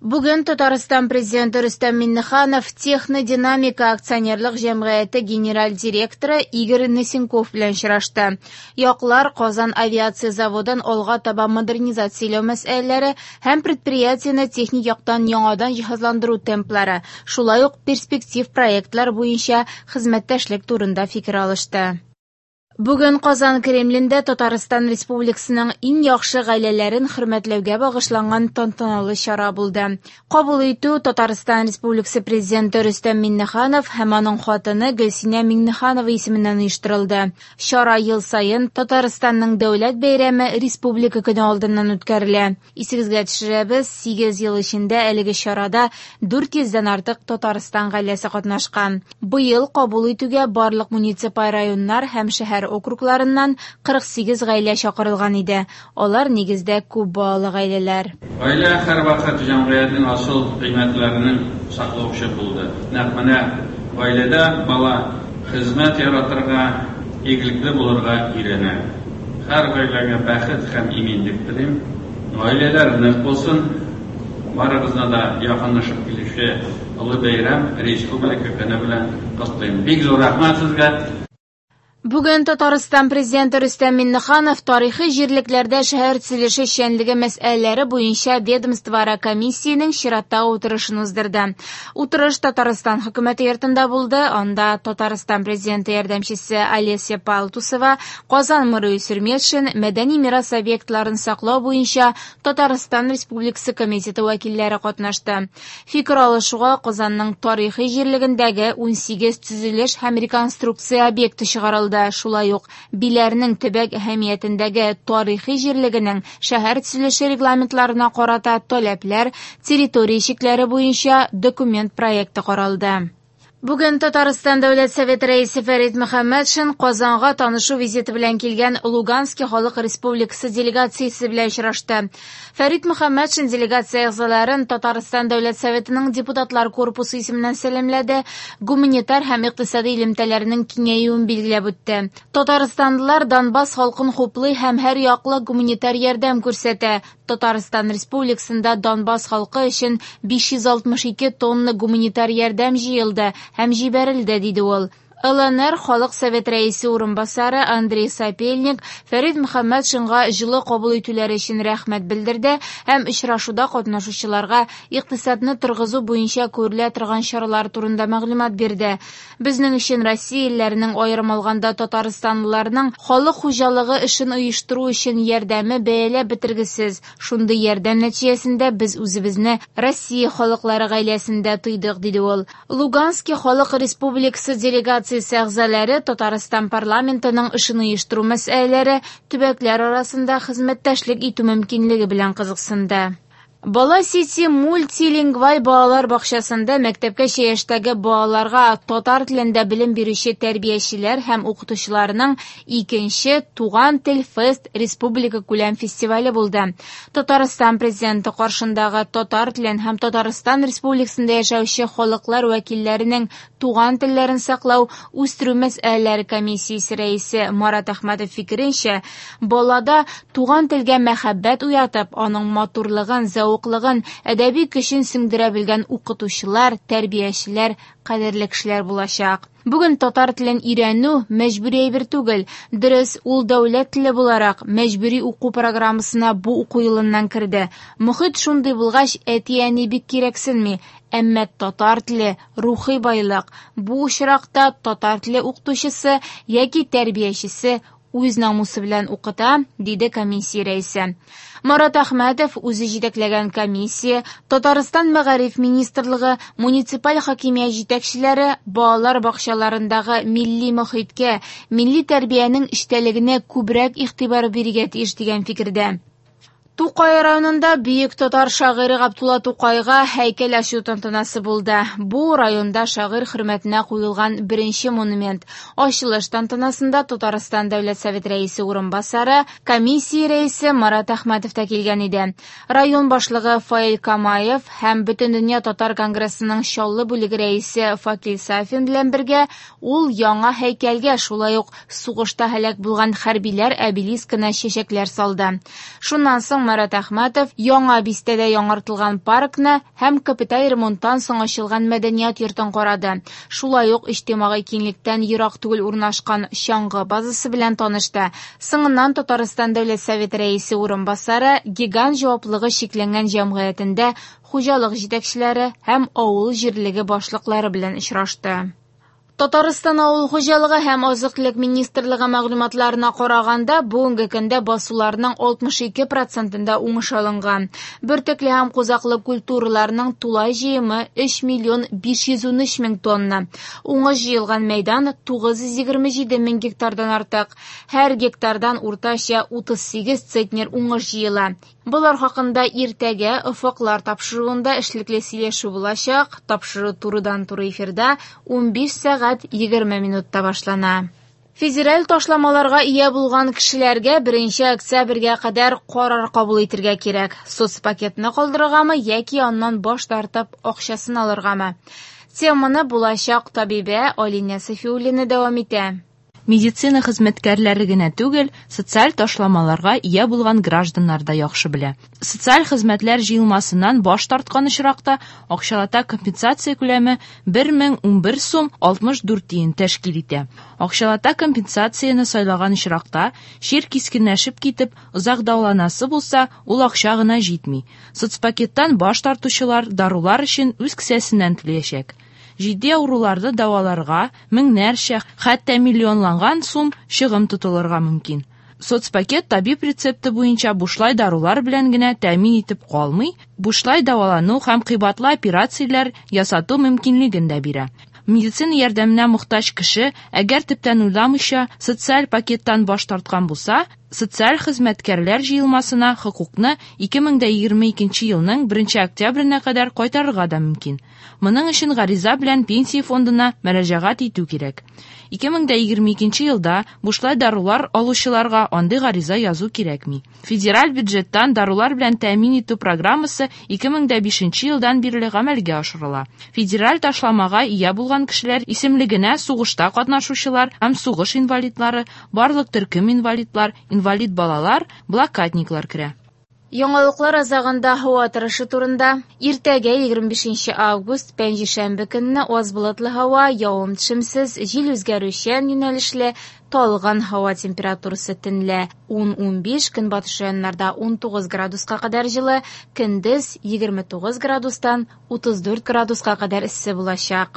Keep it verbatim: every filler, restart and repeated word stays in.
Бүген Татарстан Президенты Рөстәм Миңнеханов «Технодинамика» акционерлык җәмгыяте генераль директоры Игорь Носенков белән очрашты. Яклар Казан авиация заводын алга таба модернизацияләү мәсьәләләре һәм предприятиене техник яктан яңадан җиһазландыру темплары, шулай ук перспектив проектлар буенча хезмәттәшлек турында фикер алышты. Бүген Казан Кремлендә Татарстан Республикасының иң яхшы гаиләләрен хөрмәтләүгә багышланган тантаналы чара булды. Кабул итү Татарстан Республикасы Президенты Рөстәм Миңнеханов һәм аның хатыны Гөлсинә Миңнеханова исеменнән оештырылды. Чара ел саен Татарстанның дәүләт бәйрәме Республика көне алдыннан үткәрелә. Исегезгә төшерәбез, сигез ел эчендә әлеге чарада дүрт йөздән артык Татарстан гаиләсе катнашкан. Быел кабул итүгә барлык муниципаль районнар һәм шәһәр округларыннан кырык сигез гаилә чакырылган иде. Алар нигездә күп балалы гаиләләр. Гаилә һәрвакыт җәмгыятьнең асыл кыйммәтләренең саклаучы булды. Нәкъ менә гаиләдә бала хезмәт яратырга, игелекле булырга өйрәнә. Һәр гаиләгә бәхет һәм иминлек телим. Гаиләләр нык булсын. Барыгызны да якынлашып килүче олы бәйрәм Республика көне белән котлыйм. Бик зур рәхмәт сезгә. Бүген Татарстан Президенты Рөстәм Миңнеханов тарихи җирлекләрдә шәһәр төзелеше эшчәнлеге мәсьәләләре буенча ведомствоара комиссиянең чираттагы утырышын уздырды. Утырыш Татарстан хөкүмәте йортында булды. Анда Татарстан Президенты ярдәмчесе Олеся Палтусова, Казан мэры Илсур Метшин, мәдәни мирас объектларын саклау буенча Татарстан Республикасы комитеты вәкилләре катнашты. Фикер алышуга Казанның тарихи җирлегендәге унсигез төзелеш һәм реконструкция объекты чыгарылды. Шулай ук Биләрнең төбәк әһәмиятендәге тарихи җирлегенең шәһәр төзелеше регламентларына карата таләпләр, территория чикләре буенча документ проекты каралды. Бүген Татарстан Дәүләт Советы рәисе Фәрит Мөхәммәтшин Казанга танышу визиты белән килгән Луганский халык республикасы делегациясе белән очрашты. Фәрит Мөхәммәтшин делегация әгъзаларын Татарстан Дәүләт Советының депутатлар корпусы исеменнән сәламләде, гуманитар һәм икътисади элемтәләрнең киңәюен билгеләп үтте. Татарстанлылар Донбасс халкын хуплый һәм һәр яклы гуманитар ярдәм күрсәтә. Татарстан Республикасында Донбасс халкы өчен биш йөз алтмыш ике тонна гуманитар ярдәм җыелды һәм җибәрелде, диде ул. ЛНР Халык Совет рәисе урынбасары Андрей Сапельник Фәрит Мөхәммәтшинга җылы кабул итүләре өчен рәхмәт белдерде һәм очрашуда катнашучыларга икътисадны торгызу буенча күрелә торган чаралар турында мәгълүмат бирде. Безнең өчен Россия илләренең, аерым алганда татарстанлыларның халык хуҗалыгы эшен оештыру өчен ярдәме бәяләп бетергесез. Шундый ярдәм нәтиҗәсендә без үзебезне Россия халыклары гаиләсендә тойдык, диде ул. Луганский халык республикасы делегациясе әгъзалары Татарстан парламентының эшен оештыру мәсьәләләре, төбәкләр арасында хезмәттәшлек итү мөмкинлеге белән кызыксынды. Бала Сити мультилингваль балалар бакчасында мәктәпкәчә яшьтәге балаларга татар телендә белем бирүче тәрбиячеләр һәм укытучыларның икенче Туган тел фест республика күләм фестивале булды. Татарстан Президенты каршындагы татар телен һәм Татарстан Республикасында яшәүче халыклар вәкилләренең туган телләрен саклау, үстерү мәсьәләләре комиссиясе рәисе Марат Әхмәтов фикеренчә, балада туган телгә мәхәббәт уятып, аның матурлыгын, зәвыклыгын, әдәби көчен сеңдерә белгән укытучылар, тәрбиячеләр кадерле кешеләр булачак. Бүген татар телен өйрәнү мәҗбүри әйбер түгел. Дөрес, ул дәүләт теле буларак мәҗбүри уку программасына бу уку елыннан керде. Мохит шундый булгач, әти-әни бик кирәксенми. Әмма татар теле рухи байлык. Бу очракта татар теле укытучысы яки тәрбиячесе үз намусы белән укыта, диде комиссия рәисе. Марат Әхмәтов үзе җитәкләгән комиссия, Татарстан Мәгариф министрлыгы, муниципаль хакимият җитәкчеләре балалар бакчаларындагы милли мохиткә, милли тәрбиянең эчтәлегенә күбрәк игътибар бирергә тиеш дигән фикердә. Тукай районында бөек татар шагыйре Габдулла Тукайга һәйкәл ачу тантанасы булды. Бу районда шагыйрь хөрмәтенә куелган беренче монумент. Ачылыш тантанасында Татарстан Дәүләт Советы рәисе урынбасары, комиссия рәисе Марат Әхмәтов та килгән иде. Район башлыгы Фаил Камаев һәм Бөтендөнья татар конгрессының Чаллы бүлеге рәисе Факил Сафин белән бергә ул яңа һәйкәлгә, шулай ук сугышта һәлак булган хәрбиләр обелискына чәчәкләр салды. Шуннан соң соң Марат Әхмәтов Яңа бистәдә яңартылган паркны һәм капиталь ремонттан соң ачылган мәдәният йортын карады. Шулай ук иҗтимагый киңлектән ерак түгел урнашкан чаңгы базасы белән танышты. Соңыннан Татарстан Дәүләт Советы рәисе урынбасары Гигант җаваплылыгы чикләнгән җәмгыятендә хуҗалык җитәкчеләре һәм авыл җирлеге башлыклары белән очрашты. Татарстан авыл хуҗалыгы һәм азык-төлек министрлыгы мәгълүматларына караганда, бүгенге көндә басуларның алтмыш ике процентында уңыш алынган. Бөртекле һәм кузаклы культураларның тулай җыемы өч миллион биш йөз унөч мең тонна. Уңыш җыелган мәйдан тугыз йөз егерме җиде мең гектардан артык. Һәр гектардан уртача утыз сигез центнер уңыш җыела. Болар хакында иртәгә Офыклар тапшыруында эшлекле сөйләшү булачак. Тапшыру турыдан-туры эфирда унбиш сәгать егерме минутта башлана. Федераль ташламаларга ия булган кешеләргә беренче октябрьгә кадәр карар кабул итәргә кирәк. Соцпакетны калдырыргамы яки аннан баш тартып акчасын алыргамы? Теманы булачак табибә Алинә Сафиуллина дәвам итә. Медицина хезмәткәрләре генә түгел, социаль ташламаларга ия булган гражданнар да яхшы белә. Социаль хезмәтләр җыелмасыннан баш тарткан очракта акчалата компенсация күләме бер мең унбер сум алтмыш дүрт тиен тәшкил итә. Акчалата компенсацияне сайлаган очракта чир кискенләшеп китеп, озак дәваланасы булса, ул акча гына җитми. Соцпакеттан баш тартучылар дарулар өчен үз кесәсеннән түләячәк. Җитди авыруларны дәваларга меңнәрчә, хәтта миллионланган сум чыгым тотылырга мөмкин. Соцпакет табиб рецепты буенча бушлай дарулар белән генә тәэмин итеп калмый, бушлай дәвалану һәм кыйбатлы операцияләр ясату мөмкинлеген дә бирә. Медицина ярдәменә мохтаҗ кеше, әгәр төптән уйламыйча социаль пакеттан баш тарткан булса, социаль хезмәткәрләр җыелмасына хокукны ике мең дә егерме икенче елның беренче октябренә кадәр кайтарырга да мөмкин. Моның өчен гариза белән пенсия фондына мөрәҗәгать итү кирәк. Ике мең дә егерме икенче елда бушлай дарулар алучыларга андый гариза язу кирәкми. Федераль бюджеттан дарулар белән тәэмин итү программасы ике мең дә бишенче елдан бирле гамәлгә ашырыла. Федераль ташламага ия булган кешеләр исемлегенә сугышта катнашучылар һәм сугыш инвалидлары, барлык төркем инвалидлар, инвалид балалар, блокадниклар керә. Яңалыклар азагында һава торышы турында. Иртәгә егерме бишенче август пәнҗешәмбе көнне аз болытлы һава, явым-төшемсез, җил үзгәрүчән юнәлешле, талгын һава температурасы төнлә ун-унбиш, көнбатыш районнарда унтугыз градуска кадәр җылы, көндез егерме тугыз градустан утыз дүрт градуска кадәр эссе булачак.